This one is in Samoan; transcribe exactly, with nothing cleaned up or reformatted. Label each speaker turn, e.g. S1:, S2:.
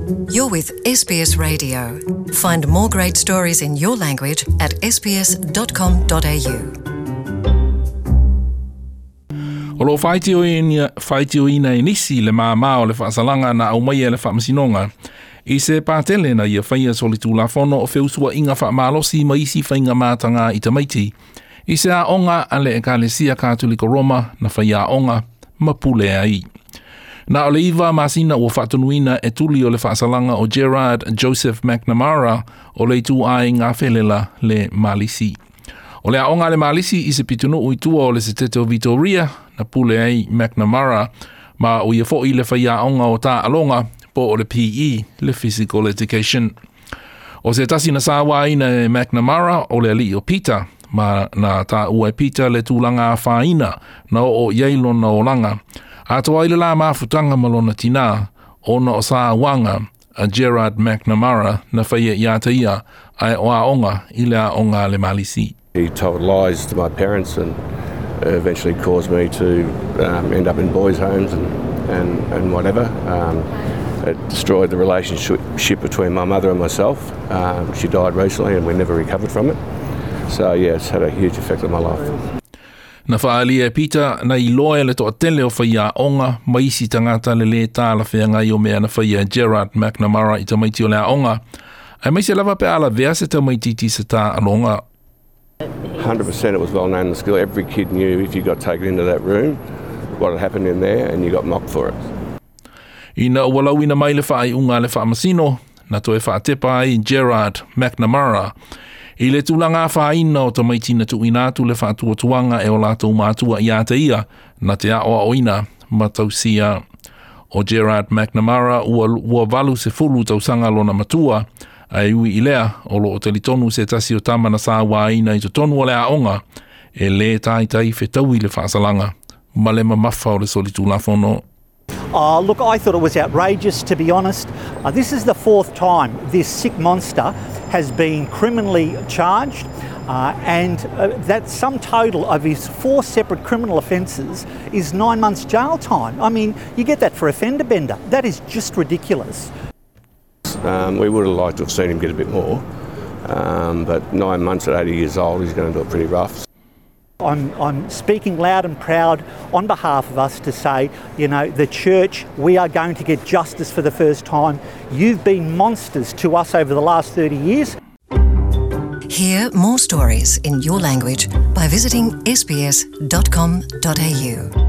S1: You're with S B S Radio. Find more great stories in your language at S B S dot com dot A U.
S2: O lo faitioina e nisi le māmā o le faasalaga na aumaia e le faamasinoga i se patele na ia faia solitulafono o feusuaiga faamalosi ma isi faiga mataga i tamaiti i se aoga a le Ekalesia Katoliko Roma na faiaoga ma pule ai. Na o le iva masina ua faatonuina e tuli o le faasalaga o Gerard Joseph McNamara o le ituaiga felela le Malisi. O le aoga le Malisi i se pitonuu i tua o le setete o Victoria na pule ai McNamara ma o ia fo'i le faiaoga o taaloga po o le P E, le Physical Education. O se tasi na sauaina e McNamara o le alii o Peter ma na taua e Peter le tulaga afaina na oo i ai lona olaga. Atoa ai le la mafutaga ma lona tinā ona o sauaga a Gerard McNamara na faia ia te ia ae o aoga i le aoga le Malisi.
S3: He told lies to my parents and eventually caused me to um, end up in boys' homes and, and, and whatever. Um, it destroyed the relationship between my mother and myself. Um, she died recently and we never recovered from it. So, yeah, it's had a huge effect on my life.
S2: Na faaalia e Peter na iloa e le toatele o faiaoga ma isi tagata le lē talafeagai o mea na faia e Gerard McNamara i tamaiti o le aoga. Aemaise lava pe a lavea se tamaititi i se taaloga.
S3: one hundred percent it was well known in the school. Every kid knew if you got taken into that room what had happened in there, and you got mocked for it.
S2: Ina ua lauina mai le faaiuga a le faamasino, na toe faatepa ai Gerard McNamara i le tulaga afaina o tamaiti na tuuina atu le faatuatuaga e o latou matua ia te ia na te aoaoina ma tausia. O Gerard McNamara ua, ua valu sefulu tausaga lona matua, ae ui i lea o loo talitonu se tasi o tama na sauaina i totonu o le aoga e lē taitai fetaui le faasalaga ma le mamafa o le solitulafono.
S4: Oh, look, I thought it was outrageous, to be honest. Uh, this is the fourth time this sick monster has been criminally charged, uh, and uh, that sum total of his four separate criminal offences is nine months' jail time. I mean, you get that for a fender bender. That is just ridiculous.
S3: Um, we would have liked to have seen him get a bit more, um, but nine months at eighty years old, he's going to do it pretty rough.
S4: I'm, I'm speaking loud and proud on behalf of us to say, you know, the church, we are going to get justice for the first time. You've been monsters to us over the last thirty years.
S1: Hear more stories in your language by visiting S B S dot com dot A U.